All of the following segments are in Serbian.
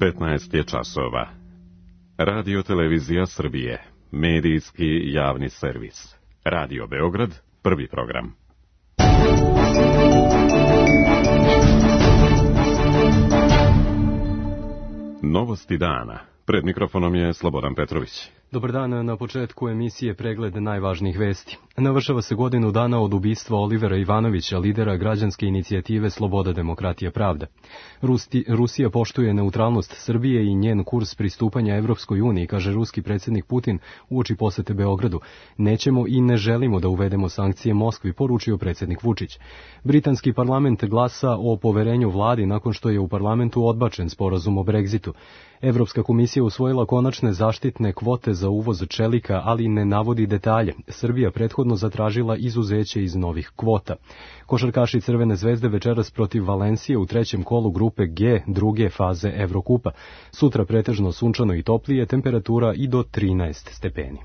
15 je časova. Radio Televizija Srbije, medijski javni servis. Radio Beograd, prvi program. Novosti dana. Pred mikrofonom je Slobodan Petrović. Dobar dan, na početku emisije pregled najvažnijih vesti. Navršava se godinu dana od ubistva Olivera Ivanovića, lidera građanske inicijative Sloboda, demokratija, pravda. Rusija poštuje neutralnost Srbije i njen kurs pristupanja Evropskoj uniji, kaže ruski predsjednik Putin uoči posete Beogradu. Nećemo i ne želimo da uvedemo sankcije Moskvi, poručio predsjednik Vučić. Britanski parlament glasa o poverenju vladi nakon što je u parlamentu odbačen sporazum o Brexitu. Evropska komisija usvojila konačne zaštitne kvote za uvoz čelika, ali ne navodi detalje. Srbija prethodno zatražila izuzeće iz novih kvota. Košarkaši Crvene zvezde večeras protiv Valencije u trećem kolu grupe G druge faze Evrokupa. Sutra pretežno sunčano i toplije, temperatura i do 13 stepeni.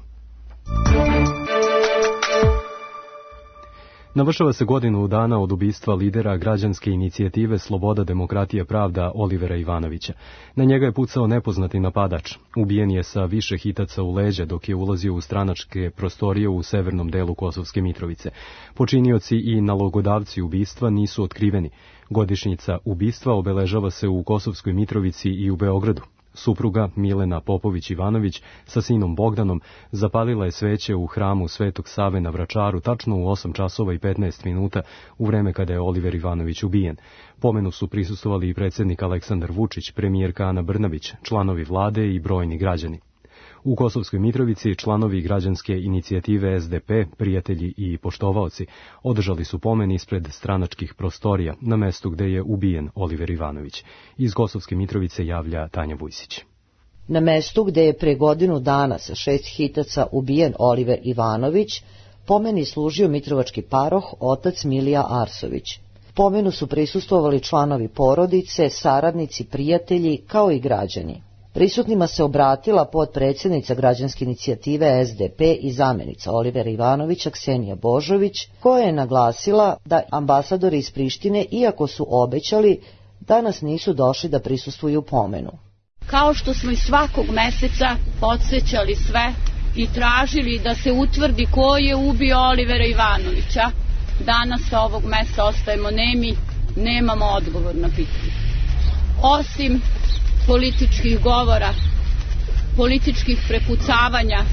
Navršava se godinu dana od ubistva lidera građanske inicijative Sloboda, demokratija, pravda Olivera Ivanovića. Na njega je pucao nepoznati napadač. Ubijen je sa više hitaca u leđa dok je ulazio u stranačke prostorije u severnom delu Kosovske Mitrovice. Počinioci i nalogodavci ubistva nisu otkriveni. Godišnjica ubistva obeležava se u Kosovskoj Mitrovici i u Beogradu. Supruga Milena Popović-Ivanović sa sinom Bogdanom zapalila je sveće u hramu Svetog Save na Vračaru tačno u 8 časova i 15 minuta u vreme kada je Oliver Ivanović ubijen. Pomenu su prisustvovali i predsjednik Aleksandar Vučić, premijerka Ana Brnabić, članovi vlade i brojni građani. U Kosovskoj Mitrovici članovi građanske inicijative SDP, prijatelji i poštovaoci održali su pomen ispred stranačkih prostorija na mestu gde je ubijen Oliver Ivanović. Iz Kosovske Mitrovice javlja Tanja Vujsić. Na mestu gde je pre godinu dana sa 6 hitaca ubijen Oliver Ivanović, pomeni služio mitrovački paroh otac Milija Arsović. Pomenu su prisustvovali članovi porodice, saradnici, prijatelji kao i građani. Prisutnima se obratila potpredsjednica građanske inicijative SDP i zamenica Olivera Ivanovića Ksenija Božović, koja je naglasila da ambasadori iz Prištine, iako su obećali, danas nisu došli da prisustvuju pomenu. Kao što smo i svakog meseca podsjećali sve i tražili da se utvrdi ko je ubio Olivera Ivanovića, danas sa ovog mesta ostajemo nemi, nemamo odgovor na pitanje. Osim političkih govora, političkih prepucavanja,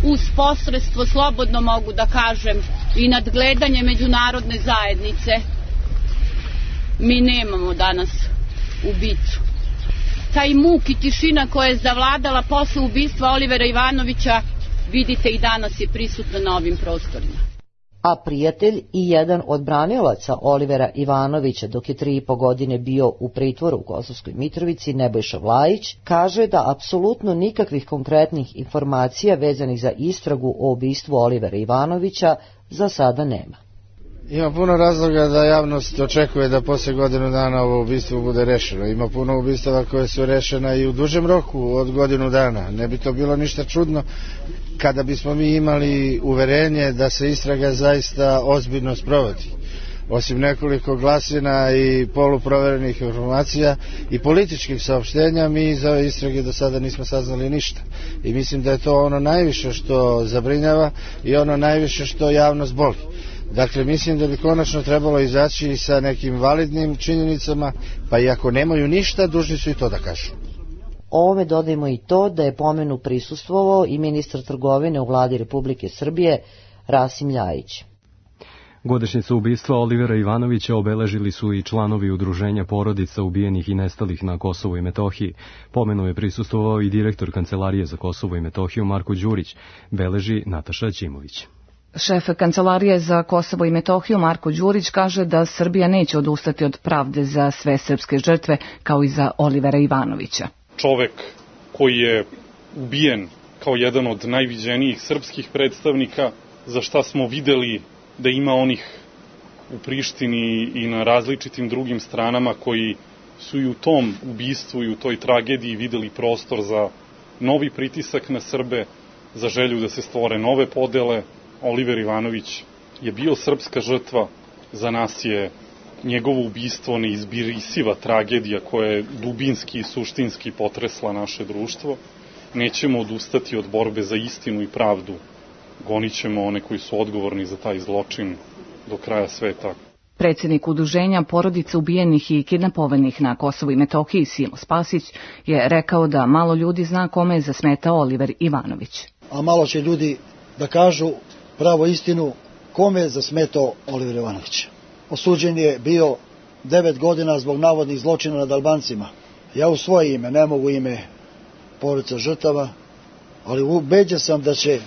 uz posredstvo, slobodno mogu da kažem, i nadgledanje međunarodne zajednice, mi nemamo danas ubicu. Taj muk i tišina koja je zavladala posle ubistva Olivera Ivanovića, vidite i danas je prisutna na ovim prostorima. A prijatelj i jedan od branilaca Olivera Ivanovića dok je 3,5 godine bio u pritvoru u Kosovskoj Mitrovici, Nebojša Vlajić, kaže da apsolutno nikakvih konkretnih informacija vezanih za istragu o ubistvu Olivera Ivanovića za sada nema. Ima puno razloga da javnost očekuje da posle godinu dana ovo ubistvo bude rešeno. Ima puno ubistava koje su rešena i u dužem roku od godinu dana. Ne bi to bilo ništa čudno kada bismo mi imali uverenje da se istraga zaista ozbiljno sprovodi. Osim nekoliko glasina i poluproverenih informacija i političkih saopštenja, mi iz ove istrage do sada nismo saznali ništa. I mislim da je to ono najviše što zabrinjava i ono najviše što javnost boli. Dakle, mislim da bi konačno trebalo izaći sa nekim validnim činjenicama, pa i ako nemaju ništa, dužni su i to da kažu. Ovome dodajmo i to da je pomenu prisustvovao i ministar trgovine u vladi Republike Srbije, Rasim Ljajić. Godišnjicu ubistva Olivera Ivanovića obeležili su i članovi udruženja porodica ubijenih i nestalih na Kosovu i Metohiji. Pomenu je prisustvovao i direktor Kancelarije za Kosovo i Metohiju Marko Đurić, beleži Nataša Ćimović. Šef Kancelarije za Kosovo i Metohiju Marko Đurić kaže da Srbija neće odustati od pravde za sve srpske žrtve kao i za Olivera Ivanovića. Čovek koji je ubijen kao jedan od najviđenijih srpskih predstavnika, za šta smo videli da ima onih u Prištini i na različitim drugim stranama koji su i u tom ubistvu i u toj tragediji videli prostor za novi pritisak na Srbe, za želju da se stvore nove podele. Oliver Ivanović je bio srpska žrtva, za nas je njegovo ubistvo neizbrisiva tragedija koja je dubinski i suštinski potresla naše društvo. Nećemo odustati od borbe za istinu i pravdu. Gonit ćemo one koji su odgovorni za taj zločin do kraja sveta. Predsjednik udruženja porodica ubijenih i kidnapovanih na Kosovu i Metohiji Simo Spasić je rekao da malo ljudi zna kome je zasmetao Oliver Ivanović. A malo će ljudi da kažu pravo istinu kome je zasmetao Oliver Ivanović. Osuđen je bio 9 godina zbog navodnih zločina nad Albancima. Ja u svoje ime, ne mogu ime porodica žrtava, ali ubeđen sam da će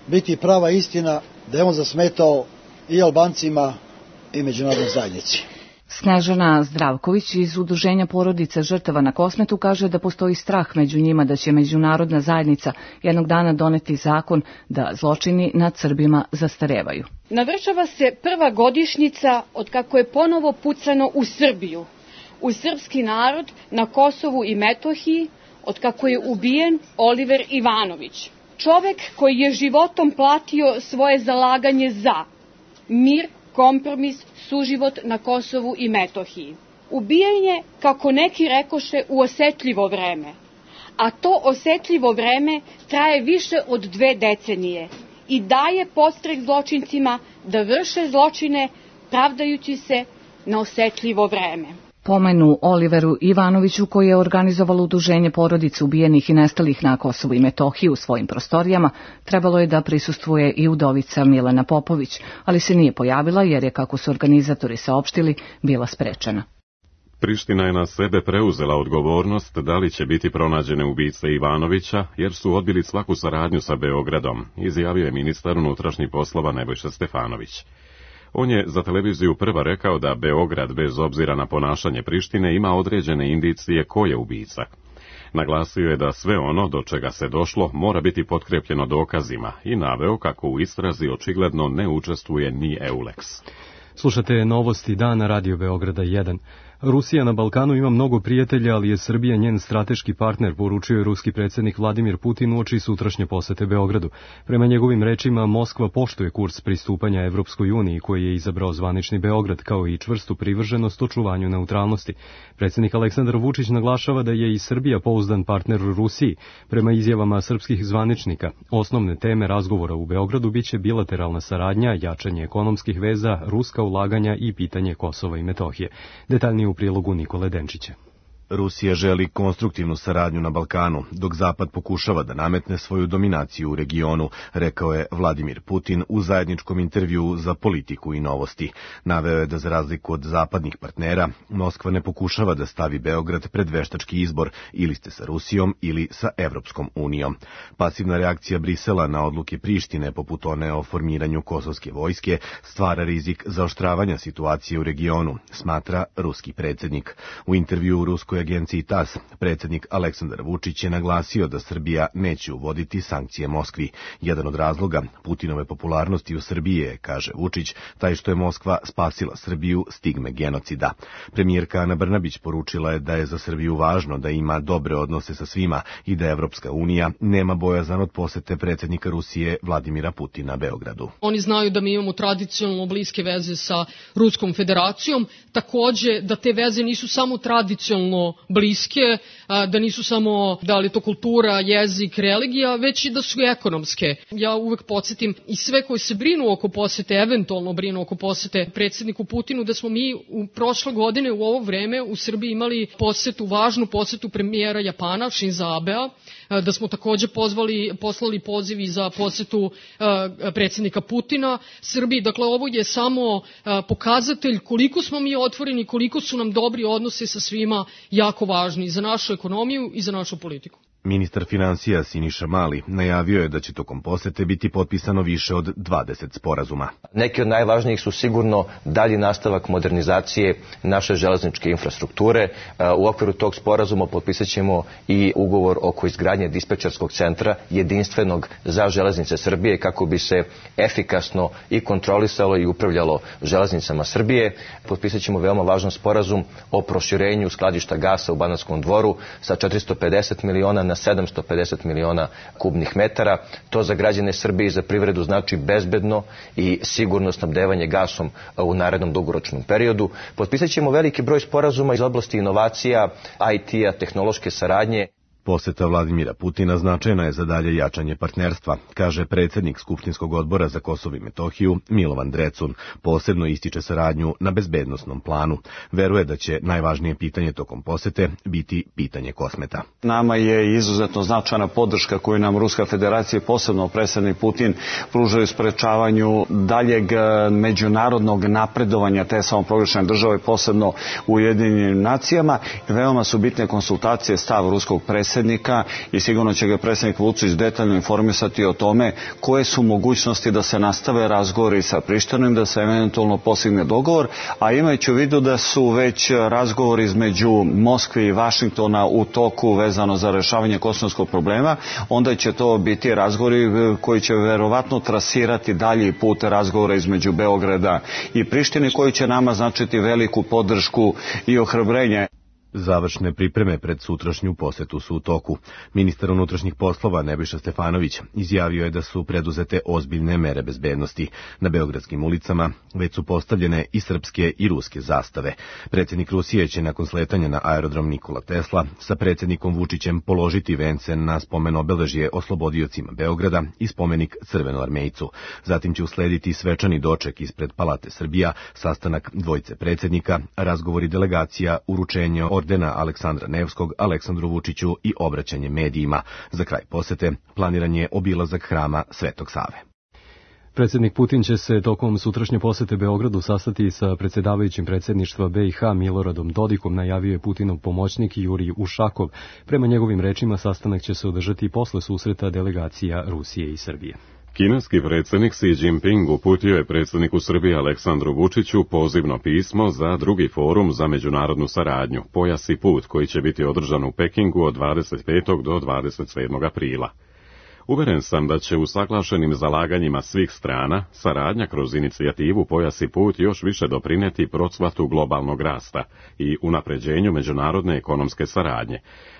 biti prava istina da je on zasmetao i Albancima i međunarodnoj zajednici. Snežana Zdravković iz udruženja porodica žrtava na Kosmetu kaže da postoji strah među njima da će međunarodna zajednica jednog dana doneti zakon da zločini nad Srbima zastarevaju. Navršava se prva godišnjica od kako je ponovo pucano u Srbiju, u srpski narod na Kosovu i Metohiji, od kako je ubijen Oliver Ivanović. Čovek koji je životom platio svoje zalaganje za mir, kompromis, suživot na Kosovu i Metohiji. Ubijen je, kako neki rekoše, u osetljivo vreme, a to osetljivo vreme traje više od 2 decenije i daje podstrek zločincima da vrše zločine pravdajući se na osetljivo vreme. Pomenu Oliveru Ivanoviću, koji je organizovalo udruženje porodica ubijenih i nestalih na Kosovu i Metohiji u svojim prostorijama, trebalo je da prisustvuje i udovica Milena Popović, ali se nije pojavila jer je, kako su organizatori saopštili, bila sprečena. Priština je na sebe preuzela odgovornost da li će biti pronađene ubice Ivanovića, jer su odbili svaku saradnju sa Beogradom, izjavio je ministar unutrašnjih poslova Nebojša Stefanović. On je za televiziju Prva rekao da Beograd, bez obzira na ponašanje Prištine, ima određene indicije ko je ubica. Naglasio je da sve ono do čega se došlo mora biti potkrepljeno dokazima i naveo kako u istrazi očigledno ne učestvuje ni EULEX. Slušate novosti dana Radio Beograda 1. Rusija na Balkanu ima mnogo prijatelja, ali je Srbija njen strateški partner, poručio je ruski predsjednik Vladimir Putin uoči sutrašnje posete Beogradu. Prema njegovim rečima, Moskva poštuje kurs pristupanja Evropskoj uniji koji je izabrao zvanični Beograd, kao i čvrstu privrženost očuvanju neutralnosti. Predsjednik Aleksandar Vučić naglašava da je i Srbija pouzdan partner u Rusiji. Prema izjavama srpskih zvaničnika, osnovne teme razgovora u Beogradu biće bilateralna saradnja, jačanje ekonomskih veza, ruska ulaganja i pitanje Kosova i Metohije. Detaljnije u prilogu Nikole Denčića. Rusija želi konstruktivnu saradnju na Balkanu, dok Zapad pokušava da nametne svoju dominaciju u regionu, rekao je Vladimir Putin u zajedničkom intervjuu za Politiku i novosti. Naveo je da za razliku od zapadnih partnera, Moskva ne pokušava da stavi Beograd pred veštački izbor, ili ste sa Rusijom ili sa Evropskom unijom. Pasivna reakcija Brisela na odluke Prištine, poput one o formiranju kosovske vojske, stvara rizik zaoštravanja situacije u regionu, smatra ruski predsjednik. U intervjuu u ruskoj agenciji TAS, predsjednik Aleksandar Vučić je naglasio da Srbija neće uvoditi sankcije Moskvi. Jedan od razloga Putinove popularnosti u Srbiji je, kaže Vučić, taj što je Moskva spasila Srbiju stigme genocida. Premijerka Ana Brnabić poručila je da je za Srbiju važno da ima dobre odnose sa svima i da Evropska unija nema bojazan od posete predsjednika Rusije Vladimira Putina Beogradu. Oni znaju da mi imamo tradicionalno bliske veze sa Ruskom federacijom, takođe da te veze nisu samo tradicionalno bliske, da nisu samo da li to kultura, jezik, religija, već i da su ekonomske. Ja uvek podsjetim i sve koji se brinu oko posete, eventualno brinu oko posete predsjedniku Putinu, da smo mi u prošle godine u ovo vreme u Srbiji imali važnu posetu premijera Japana, Shinza Abea, da smo takođe poslali pozivi za posetu predsjednika Putina Srbiji. Dakle, ovo je samo pokazatelj koliko smo mi otvoreni, koliko su nam dobri odnose sa svima jako važni za našu ekonomiju i za našu politiku. Ministar finansija Siniša Mali najavio je da će tokom posete biti potpisano više od 20 sporazuma. Neki od najvažnijih su sigurno dalji nastavak modernizacije naše železničke infrastrukture. U okviru tog sporazuma potpisat ćemo i ugovor oko izgradnje dispečerskog centra jedinstvenog za železnice Srbije kako bi se efikasno i kontrolisalo i upravljalo železnicama Srbije. Potpisat ćemo veoma važan sporazum o proširenju skladišta gasa u Banatskom Dvoru sa 450 miliona na 750 miliona kubnih metara. To za građane Srbije i za privredu znači bezbedno i sigurno snabdevanje gasom u narednom dugoročnom periodu. Potpisat ćemo veliki broj sporazuma iz oblasti inovacija, IT-a, tehnološke saradnje. Poseta Vladimira Putina značajna je za dalje jačanje partnerstva, kaže predsjednik Skupštinskog odbora za Kosovo i Metohiju Milovan Drecun. Posebno ističe saradnju na bezbednosnom planu. Veruje da će najvažnije pitanje tokom posete biti pitanje Kosmeta. Nama je izuzetno značajna podrška koju nam Ruska federacija, posebno predsjednik Putin, pružaju u sprečavanju daljeg međunarodnog napredovanja te samoproglašene države, posebno u Ujedinjenim nacijama. Veoma su bitne konsultacije, stav ruskog predsjednika i sigurno će ga predsjednik Vučić detaljno informisati o tome koje su mogućnosti da se nastave razgovori sa Prištinom, da se eventualno postigne dogovor, a imajući u vidu da su već razgovori između Moskve i Vašingtona u toku vezano za rešavanje kosovskog problema, onda će to biti razgovori koji će verovatno trasirati dalji put razgovora između Beograda i Prištine, koji će nama značiti veliku podršku i ohrabrenje. Završne pripreme pred sutrašnju posetu su u toku. Ministar unutrašnjih poslova Nebojša Stefanović izjavio je da su preduzete ozbiljne mere bezbednosti. Na beogradskim ulicama već su postavljene i srpske i ruske zastave. Predsjednik Rusije će nakon sletanja na aerodrom Nikola Tesla sa predsjednikom Vučićem položiti vence na spomen obeležje oslobodiocima Beograda i spomenik Crvenoarmejcu. Zatim će uslediti svečani doček ispred Palate Srbija, sastanak dvojice predsjednika, razgovori delegacija, uručenje ordena Aleksandra Nevskog Aleksandru Vučiću i obraćanje medijima. Za kraj posete planiran je obilazak hrama Svetog Save. Predsjednik Putin će se tokom sutrašnje posete Beogradu sastati sa predsjedavajućim predsjedništva BiH Miloradom Dodikom, najavio je Putinov pomoćnik Jurij Ušakov. Prema njegovim rečima, sastanak će se održati posle susreta delegacija Rusije i Srbije. Kineski predsjednik Xi Jinping uputio je predsjedniku Srbije Aleksandru Vučiću pozivno pismo za drugi forum za međunarodnu saradnju, Pojas i put, koji će biti održan u Pekingu od 25. do 27. aprila. Uveren sam da će usaglašenim zalaganjima svih strana saradnja kroz inicijativu Pojas i put još više doprineti procvatu globalnog rasta i unapređenju međunarodne ekonomske saradnje.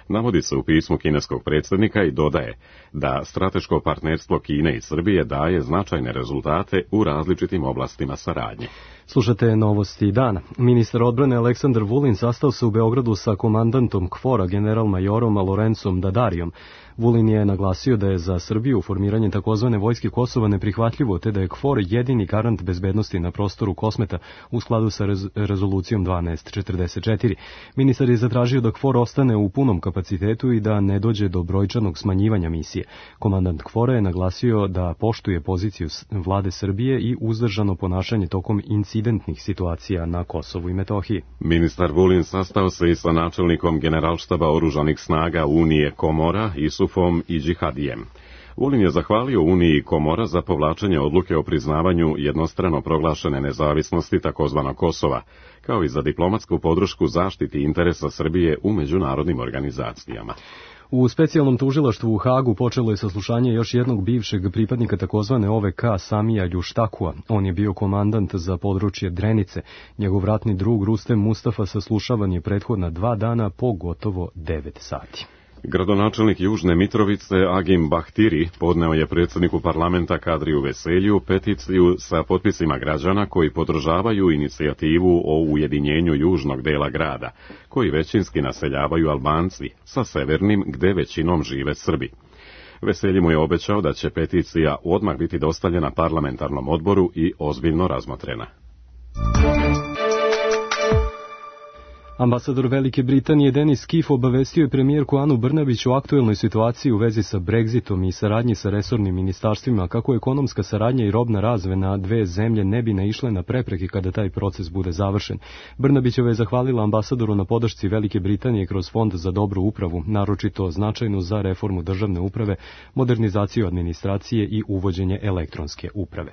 Navodi se u pismu kineskog predsjednika i dodaje da strateško partnerstvo Kine i Srbije daje značajne rezultate u različitim oblastima saradnje. Slušate novosti dana. Ministar odbrane Aleksandar Vulin sastao se u Beogradu sa komandantom KFOR-a general-majorom Lorencom Dadarijom. Vulin je naglasio da je za Srbiju formiranje takozvane vojske Kosova neprihvatljivo, te da je KFOR jedini garant bezbednosti na prostoru Kosmeta u skladu sa rezolucijom 1244. Ministar je zatražio da KFOR ostane u punom kapacitetu i da ne dođe do brojčanog smanjivanja misije. Komandant KFOR-a je naglasio da poštuje poziciju vlade Srbije i uzdržano ponašanje tokom incidentnih situacija na Kosovu i Metohiji. Ministar Vulin sastao se i sa načelnikom Generalštaba oružanih snaga Unije Komora, Isufom i Džihadijem. Vulin je zahvalio Uniji Komora za povlačenje odluke o priznavanju jednostrano proglašene nezavisnosti takozvanog Kosova, kao i za diplomatsku podršku zaštiti interesa Srbije u međunarodnim organizacijama. U specijalnom tužilaštvu u Hagu počelo je saslušanje još jednog bivšeg pripadnika takozvane OVK Samija Ljuštakua. On je bio komandant za područje Drenice. Njegov ratni drug Rustem Mustafa saslušavan je prethodna 2 dana po gotovo 9 sati. Gradonačelnik Južne Mitrovice Agim Bahtiri podneo je predsjedniku parlamenta Kadriju Veselju peticiju sa potpisima građana koji podržavaju inicijativu o ujedinjenju južnog dela grada, koji većinski naseljavaju Albanci, sa severnim gde većinom žive Srbi. Veselji mu je obećao da će peticija odmah biti dostavljena parlamentarnom odboru i ozbiljno razmotrena. Ambasador Velike Britanije Denis Keefe obavestio je premijerku Anu Brnabić o aktuelnoj situaciji u vezi sa Brexitom i saradnji sa resornim ministarstvima, kako ekonomska saradnja i robna razmena dve zemlje ne bi naišle na prepreke kada taj proces bude završen. Brnabićeva je zahvalila ambasadoru na podršci Velike Britanije kroz Fond za dobru upravu, naročito značajnu za reformu državne uprave, modernizaciju administracije i uvođenje elektronske uprave.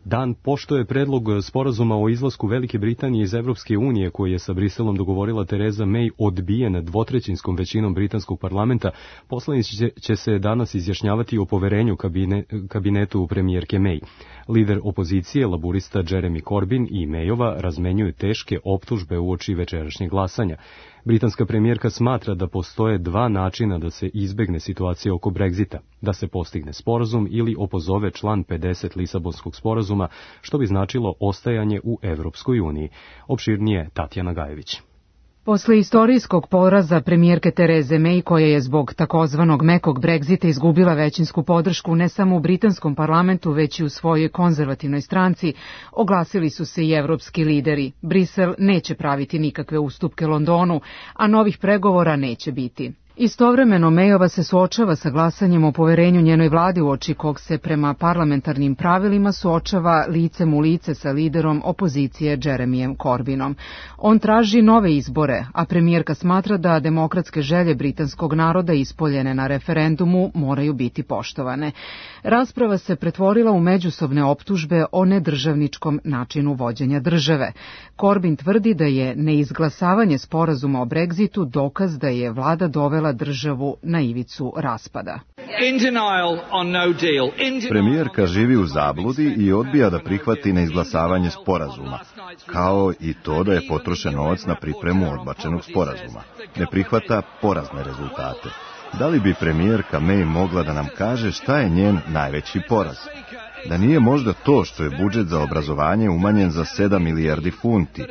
Dan pošto je predlog sporazuma o izlasku Velike Britanije iz Evropske unije, koji je sa Briselom dogovorila Tereza May, odbijen dvotrećinskom većinom britanskog parlamenta, poslanici će se danas izjašnjavati o poverenju kabinetu premijerke May. Lider opozicije, laburista Jeremy Corbyn i Mayova razmenjuju teške optužbe uoči večerašnjeg glasanja. Britanska premijerka smatra da postoje dva načina da se izbegne situacija oko Brexita, da se postigne sporazum ili opozove član 50 Lisabonskog sporazuma, što bi značilo ostajanje u Evropskoj uniji. Opširnije Tatjana Gajević. Posle istorijskog poraza premijerke Tereze May, koja je zbog takozvanog mekog Brexita izgubila većinsku podršku ne samo u britanskom parlamentu, već i u svojoj konzervativnoj stranci, oglasili su se i evropski lideri. Brisel neće praviti nikakve ustupke Londonu, a novih pregovora neće biti. Istovremeno Mayova se suočava sa glasanjem o poverenju njenoj vladi, uoči kog se prema parlamentarnim pravilima suočava licem u lice sa liderom opozicije Jeremyem Corbynom. On traži nove izbore, a premijerka smatra da demokratske želje britanskog naroda ispoljene na referendumu moraju biti poštovane. Rasprava se pretvorila u međusobne optužbe o nedržavničkom načinu vođenja države. Corbyn tvrdi da je neizglasavanje sporazuma o Brexitu dokaz da je vlada dovela državu na ivicu raspada. Premijerka živi u zabludi i odbija da prihvati neizglasavanje sporazuma, kao i to da je potrošen novac na pripremu odbačenog sporazuma. Ne prihvata porazne rezultate. Da li bi premijerka May mogla da nam kaže šta je njen najveći poraz? Da nije možda to što je budžet za obrazovanje umanjen za 7 milijardi funti,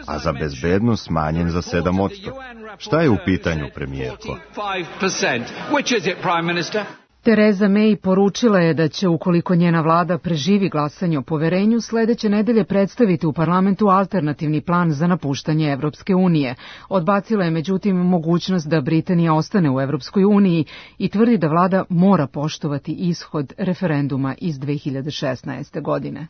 a za bezbednost smanjen za 7%. Šta je u pitanju, premijerko? Tereza May poručila je da će, ukoliko njena vlada preživi glasanje o poverenju, sledeće nedelje predstaviti u parlamentu alternativni plan za napuštanje Evropske unije. Odbacila je međutim mogućnost da Britanija ostane u Evropskoj uniji i tvrdi da vlada mora poštovati ishod referenduma iz 2016. godine.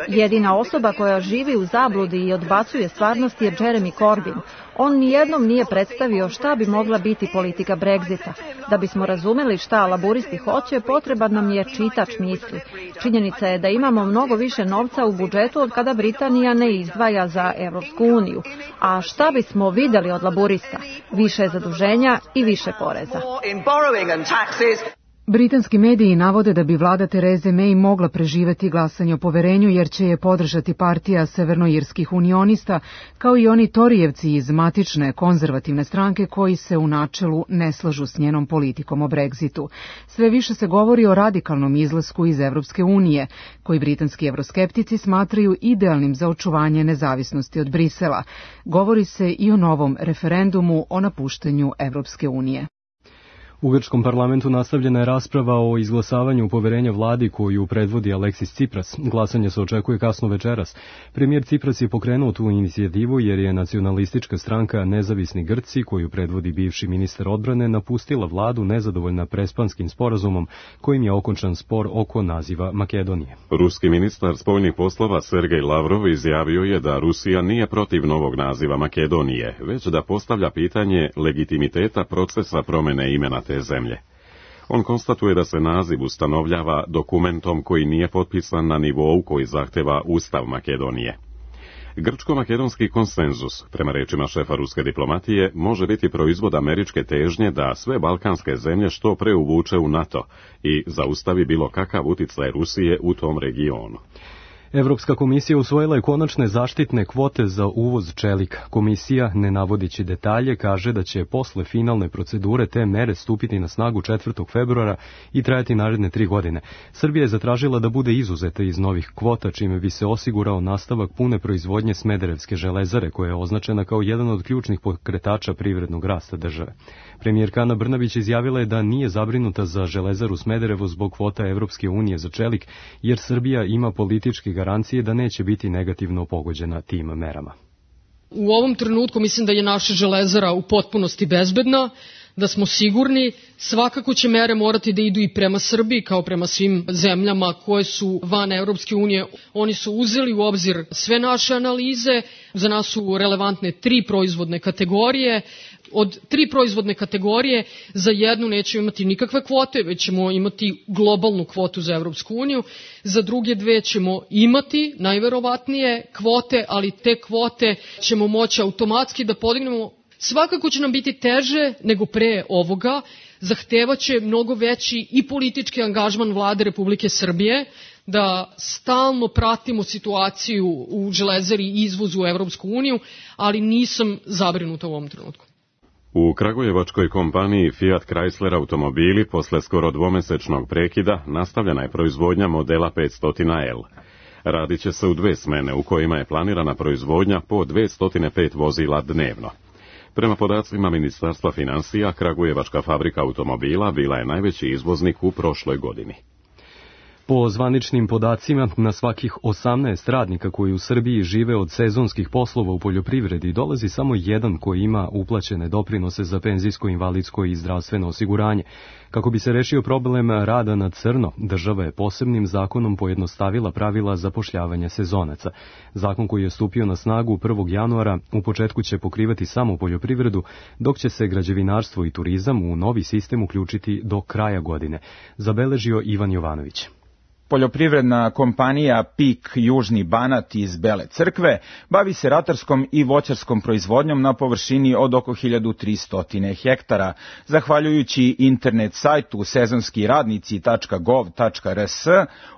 Jedina osoba koja živi u zabludi i odbacuje stvarnost je Jeremy Corbyn. On nijednom nije predstavio šta bi mogla biti politika Brexita. Da bismo razumeli šta laburisti hoće, potreban nam je čitač misli. Činjenica je da imamo mnogo više novca u budžetu od kada Britanija ne izdvaja za Evropsku uniju. A šta bismo videli od laburista? Više zaduženja i više poreza. Britanski mediji navode da bi vlada Tereze May mogla preživeti glasanje o poverenju jer će je podržati partija severnoirskih unionista, kao i oni Torijevci iz matične konzervativne stranke koji se u načelu ne slažu s njenom politikom o Brexitu. Sve više se govori o radikalnom izlasku iz Evropske unije, koji britanski evroskeptici smatraju idealnim za očuvanje nezavisnosti od Brisela. Govori se i o novom referendumu o napuštanju Evropske unije. U grčkom parlamentu nastavljena je rasprava o izglasavanju poverenja vladi koju predvodi Aleksis Tsipras. Glasanje se očekuje kasno večeras. Premijer Tsipras je pokrenuo tu inicijativu jer je nacionalistička stranka Nezavisni Grci, koju predvodi bivši ministar odbrane, napustila vladu nezadovoljna prespanskim sporazumom kojim je okončan spor oko naziva Makedonije. Ruski ministar spoljnih poslova Sergej Lavrov izjavio je da Rusija nije protiv novog naziva Makedonije, već da postavlja pitanje legitimiteta procesa promene imena te zemlje. On konstatuje da se naziv ustanovljava dokumentom koji nije potpisan na nivou koji zahteva Ustav Makedonije. Grčko-makedonski konsenzus, prema rečima šefa ruske diplomatije, može biti proizvod američke težnje da sve balkanske zemlje što pre uvuče u NATO i zaustavi bilo kakav uticaj Rusije u tom regionu. Evropska komisija usvojila je konačne zaštitne kvote za uvoz čelika. Komisija, ne navodići detalje, kaže da će posle finalne procedure te mere stupiti na snagu 4. februara i trajati naredne 3 godine. Srbija je zatražila da bude izuzeta iz novih kvota, čime bi se osigurao nastavak pune proizvodnje Smederevske železare, koja je označena kao jedan od ključnih pokretača privrednog rasta države. Premijerka Ana Brnabić izjavila je da nije zabrinuta za železaru Smederevo zbog kvota Evropske unije za čelik, jer Srbija ima politički garancije da neće biti negativno pogođena tim merama. U ovom trenutku mislim da je naša železara u potpunosti bezbedna, da smo sigurni. Svakako će mere morati da idu i prema Srbiji kao prema svim zemljama koje su van Evropske unije. Oni su uzeli u obzir sve naše analize, za nas su relevantne 3 proizvodne kategorije. Od 3 proizvodne kategorije za jednu nećemo imati nikakve kvote, već ćemo imati globalnu kvotu za Evropsku uniju. Za druge 2 ćemo imati najverovatnije kvote, ali te kvote ćemo moći automatski da podignemo. Svakako će nam biti teže nego pre ovoga, zahtevaće mnogo veći i politički angažman vlade Republike Srbije, da stalno pratimo situaciju u železari i izvozu u Evropsku uniju, ali nisam zabrinuta u ovom trenutku. U kragujevačkoj kompaniji Fiat Chrysler automobili posle skoro dvomesečnog prekida nastavljena je proizvodnja modela 500L. Radit će se u 2 smene u kojima je planirana proizvodnja po 205 vozila dnevno. Prema podacima Ministarstva financija, kragujevačka fabrika automobila bila je najveći izvoznik u prošloj godini. Po zvaničnim podacima, na svakih 18 radnika koji u Srbiji žive od sezonskih poslova u poljoprivredi dolazi samo jedan koji ima uplaćene doprinose za penzijsko, invalidsko i zdravstveno osiguranje. Kako bi se rešio problem rada na crno, država je posebnim zakonom pojednostavila pravila zapošljavanja sezonaca. Zakon koji je stupio na snagu 1. januara u početku će pokrivati samo poljoprivredu, dok će se građevinarstvo i turizam u novi sistem uključiti do kraja godine, zabeležio Ivan Jovanović. Poljoprivredna kompanija PIK Južni Banat iz Bele Crkve bavi se ratarskom i voćarskom proizvodnjom na površini od oko 1300 hektara. Zahvaljujući internet sajtu sezonskiradnici.gov.rs,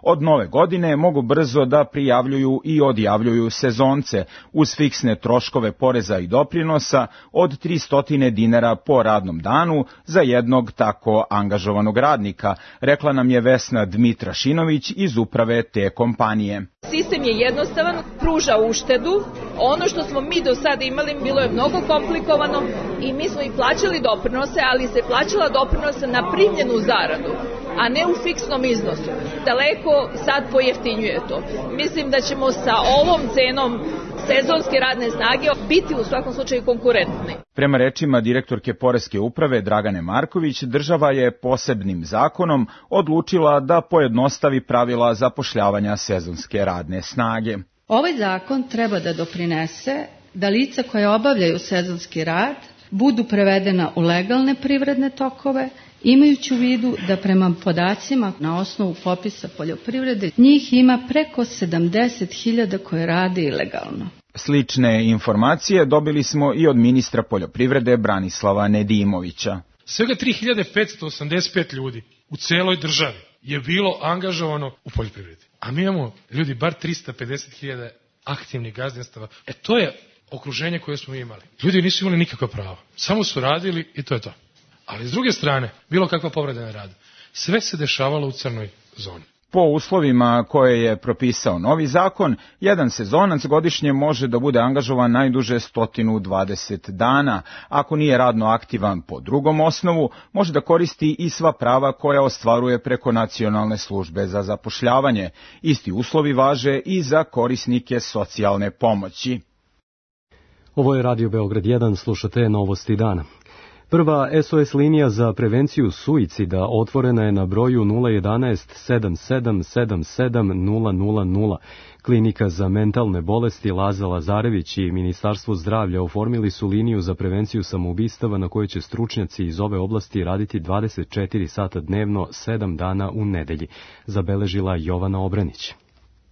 od nove godine mogu brzo da prijavljuju i odjavljuju sezonce uz fiksne troškove poreza i doprinosa od 300 dinara po radnom danu za jednog tako angažovanog radnika, rekla nam je Vesna Dmitrašinović iz uprave te kompanije. Sistem je jednostavan, pruža uštedu. Ono što smo mi do sada imali bilo je mnogo komplikovano i mi smo i plaćali doprinose, ali se plaćala doprinose na primljenu zaradu, a ne u fiksnom iznosu. Daleko sad pojeftinjuje to. Mislim da ćemo sa ovom cenom sezonske radne snage biti u svakom slučaju konkurentni. Prema rečima direktorke Poreske uprave Dragane Marković, država je posebnim zakonom odlučila da pojednostavi pravila zapošljavanja sezonske radne snage. Ovaj zakon treba da doprinese da lica koje obavljaju sezonski rad budu prevedena u legalne privredne tokove, imajući u vidu da prema podacima na osnovu popisa poljoprivrede njih ima preko 70.000 koje rade ilegalno. Slične informacije dobili smo i od ministra poljoprivrede Branislava Nedimovića. Svega 3585 ljudi u celoj državi je bilo angažovano u poljoprivredi. A mi imamo ljudi bar 350.000 aktivnih gazdinstava. To je okruženje koje smo imali. Ljudi nisu imali nikakva prava. Samo su radili i to je to. Ali s druge strane, bilo kakva povreda na radu. Sve se dešavalo u crnoj zoni. Po uslovima koje je propisao novi zakon, jedan sezonac godišnje može da bude angažovan najduže 120 dana. Ako nije radno aktivan po drugom osnovu, može da koristi i sva prava koja ostvaruje preko Nacionalne službe za zapošljavanje. Isti uslovi važe i za korisnike socijalne pomoći. Ovo je Radio Beograd 1, slušate Novosti dana. Prva SOS linija za prevenciju suicida otvorena je na broju 011 7777 000. Klinika za mentalne bolesti Laza Lazarević i Ministarstvo zdravlja oformili su liniju za prevenciju samoubistava na kojoj će stručnjaci iz ove oblasti raditi 24 sata dnevno, 7 dana u nedelji, zabeležila Jovana Obranić.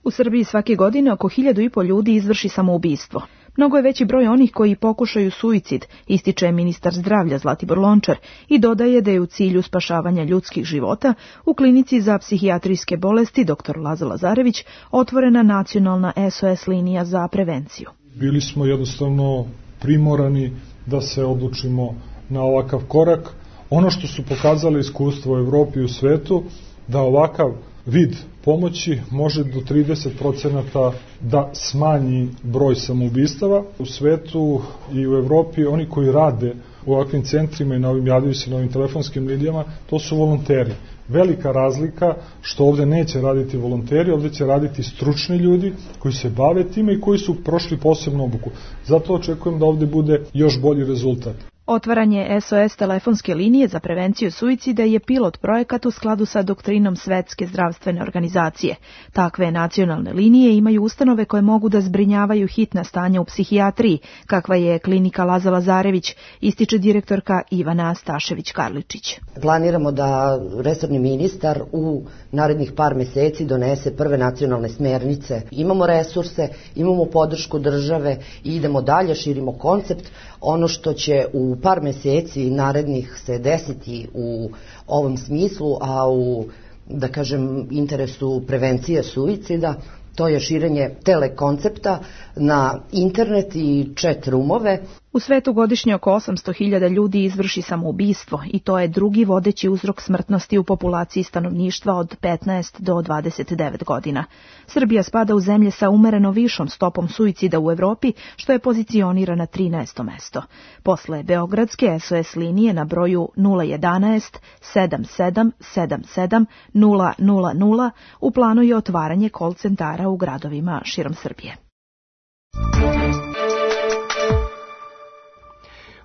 U Srbiji svake godine oko 1.500 ljudi izvrši samoubistvo. Mnogo je veći broj onih koji pokušaju suicid, ističe ministar zdravlja Zlatibor Lončar i dodaje da je u cilju spašavanja ljudskih života u klinici za psihijatrijske bolesti dr. Laza Lazarević otvorena nacionalna SOS linija za prevenciju. Bili smo jednostavno primorani da se odlučimo na ovakav korak. Ono što su pokazali iskustvo u Evropi i u svetu, da ovakav vid pomoći može do 30% da smanji broj samoubistava. U svetu i u Evropi oni koji rade u ovakvim centrima i javljaju se na ovim telefonskim linijama, to su volonteri. Velika razlika što ovde neće raditi volonteri, ovde će raditi stručni ljudi koji se bave time i koji su prošli posebnu obuku. Zato očekujem da ovde bude još bolji rezultat. Otvaranje SOS telefonske linije za prevenciju suicida je pilot projekat u skladu sa doktrinom Svetske zdravstvene organizacije. Takve nacionalne linije imaju ustanove koje mogu da zbrinjavaju hitna stanja u psihijatriji, kakva je klinika Laza Lazarević, ističe direktorka Ivana Stašević-Karličić. Planiramo da resorni ministar u narednih par meseci donese prve nacionalne smernice. Imamo resurse, imamo podršku države i idemo dalje, širimo koncept. Ono što će u par meseci narednih se desiti u ovom smislu, a u da kažem, interesu prevencije suicida, to je širenje telekoncepta na internet i chat roomove. U svetu godišnje oko 800.000 ljudi izvrši samoubistvo i to je drugi vodeći uzrok smrtnosti u populaciji stanovništva od 15 do 29 godina. Srbija spada u zemlje sa umereno višom stopom suicida u Evropi, što je pozicionira na 13. mesto. Posle beogradske SOS linije na broju 011 77 77 000 u planu je otvaranje call centara u gradovima širom Srbije.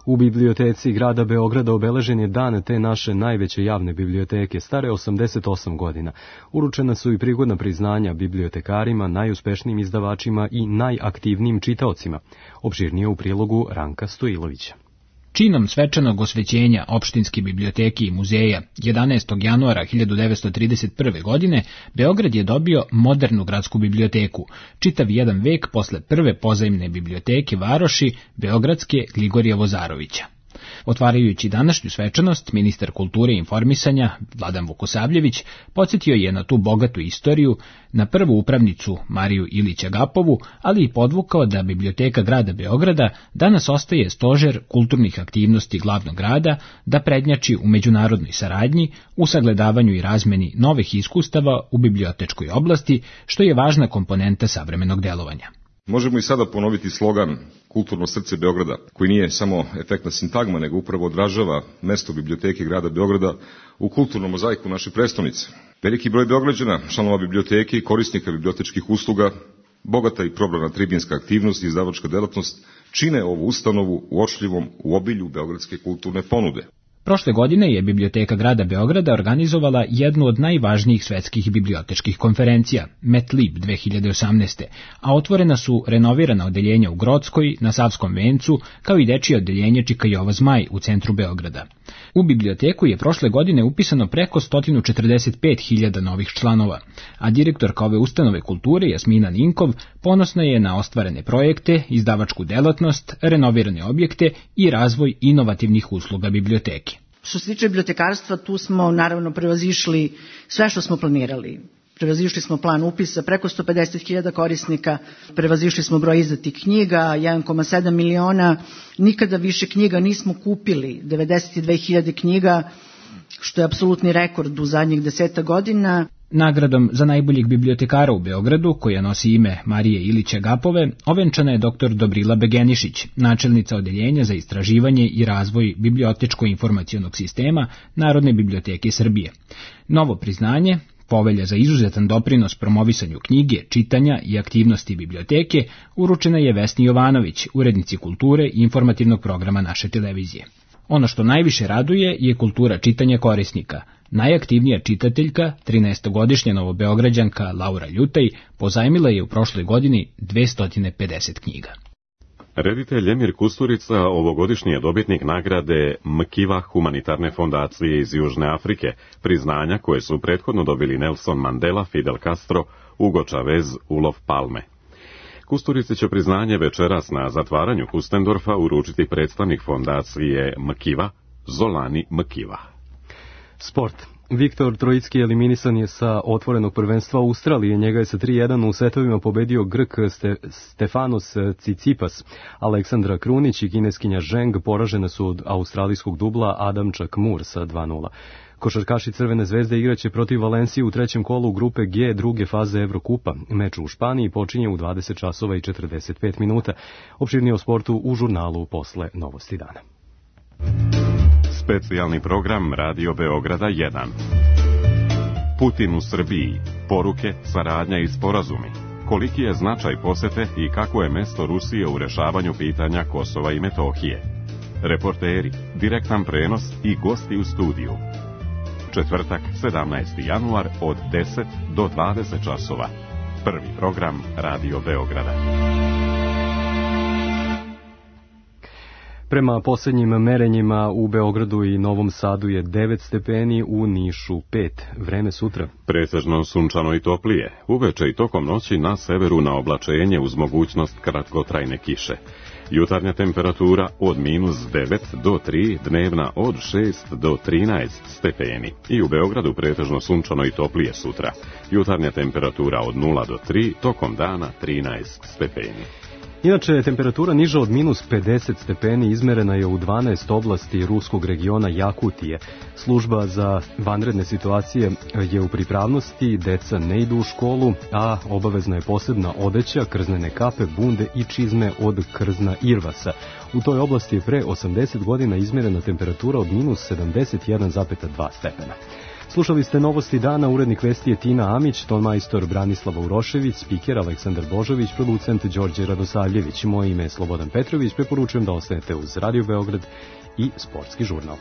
U biblioteci grada Beograda obeležen je dan te naše najveće javne biblioteke, stare 88 godina. Uručena su i prigodna priznanja bibliotekarima, najuspešnijim izdavačima i najaktivnijim čitaocima. Opširnije u prilogu Ranka Stojilovića. Činom svečanog osvećenja opštinske biblioteke i muzeja 11. januara 1931. godine Beograd je dobio modernu gradsku biblioteku, čitav jedan vek posle prve pozajmne biblioteke varoši Beogradske Gligorija Vozarovića. Otvarajući današnju svečanost, ministar kulture i informisanja Vladan Vukosavljević podsjetio je na tu bogatu istoriju, na prvu upravnicu Mariju Ilić Agapovu, ali i podvukao da biblioteka grada Beograda danas ostaje stožer kulturnih aktivnosti glavnog grada, da prednjači u međunarodnoj saradnji, u sagledavanju i razmeni novih iskustava u bibliotečkoj oblasti, što je važna komponenta savremenog delovanja. Možemo i sada ponoviti slogan Kulturno srce Beograda, koji nije samo efektna sintagma, nego upravo odražava mesto biblioteke grada Beograda u kulturnom mozaiku naše prestonice. Veliki broj Beograđana, članova biblioteke i korisnika bibliotečkih usluga, bogata i probrana tribinska aktivnost i izdavačka delatnost čine ovu ustanovu uočljivom u obilju beogradske kulturne ponude. Prošle godine je biblioteka grada Beograda organizovala jednu od najvažnijih svetskih bibliotečkih konferencija, MetLib 2018. A otvorena su renovirana odeljenja u Grockoj, na Savskom vencu, kao i dečije odeljenje Čika Jova Zmaj u centru Beograda. U biblioteku je prošle godine upisano preko 145.000 novih članova, a direktorka ove ustanove kulture Jasmina Ninkov ponosna je na ostvarene projekte, izdavačku delatnost, renovirane objekte i razvoj inovativnih usluga biblioteke. Što se tiče bibliotekarstva, tu smo naravno prevazišli sve što smo planirali. Prevazišli smo plan upisa, preko 150.000 korisnika, prevazišli smo broj izdatih knjiga, 1,7 miliona, nikada više knjiga nismo kupili, 92.000 knjiga, što je apsolutni rekord u zadnjih 10 godina. Nagradom za najboljeg bibliotekara u Beogradu, koja nosi ime Marije Ilić Agapove, ovenčana je dr. Dobrila Begenišić, načelnica odeljenja za istraživanje i razvoj bibliotečko-informacionog sistema Narodne biblioteke Srbije. Novo priznanje, Povelja za izuzetan doprinos promovisanju knjige, čitanja i aktivnosti biblioteke, uručena je Vesni Jovanović, urednici kulture i informativnog programa naše televizije. Ono što najviše raduje je kultura čitanja korisnika. Najaktivnija čitateljka, 13-godišnja novobeograđanka Laura Ljutaj, pozajmila je u prošloj godini 250 knjiga. Reditelj Emir Kusturica ovogodišnji je dobitnik nagrade Mkiva humanitarne fondacije iz Južne Afrike, priznanja koje su prethodno dobili Nelson Mandela, Fidel Castro, Hugo Chavez, Olof Palme. Kusturici će priznanje večeras na zatvaranju Kustendorfa uručiti predstavnik fondacije Mkiva, Zolani Mkiva. Sport. Viktor Trojicki eliminisan je sa otvorenog prvenstva Australije. Njega je sa 3-1 u setovima pobedio Grk Stefanos Tsitsipas. Aleksandra Krunić i kineskinja Zheng poražene su od australijskog dubla Adam Chakmur sa 2-0. Košarkaši Crvene zvezde igraće protiv Valencije u trećem kolu grupe G druge faze Evrokupa. Meč u Španiji počinje u 20 časova i 45 minuta. Opširnije o sportu u žurnalu posle Novosti dana. Specijalni program Radio Beograda 1. Putin u Srbiji. Poruke, saradnja i sporazumi. Koliki je značaj posete i kako je mesto Rusije u rešavanju pitanja Kosova i Metohije. Reporteri, direktan prenos i gosti u studiju. Četvrtak, 17. januar od 10 do 20 časova. Prvi program Radio Beograda. Prema posljednjim merenjima u Beogradu i Novom Sadu je 9 stepeni, u Nišu 5. Vreme sutra. Pretežno sunčano i toplije. Uveče i tokom noći na severu na oblačenje uz mogućnost kratkotrajne kiše. Jutarnja temperatura od -9 do 3, dnevna od 6 do 13 stepeni. I u Beogradu pretežno sunčano i toplije sutra. Jutarnja temperatura od 0 do 3, tokom dana 13 stepeni. Inače, temperatura niža od -50 stepeni izmerena je u 12 oblasti ruskog regiona Jakutije. Služba za vanredne situacije je u pripravnosti, deca ne idu u školu, a obavezna je posebna odeća, krznene kape, bunde i čizme od krzna irvasa. U toj oblasti je pre 80 godina izmerena temperatura od -71,2 stepena. Slušali ste novosti dana, urednik vesti je Tina Amić, tonmajstor Branislava Urošević, spiker Aleksandar Božović, producent Đorđe Radosavljević. Moje ime je Slobodan Petrović, preporučujem da ostanete uz Radio Beograd i Sportski žurnal.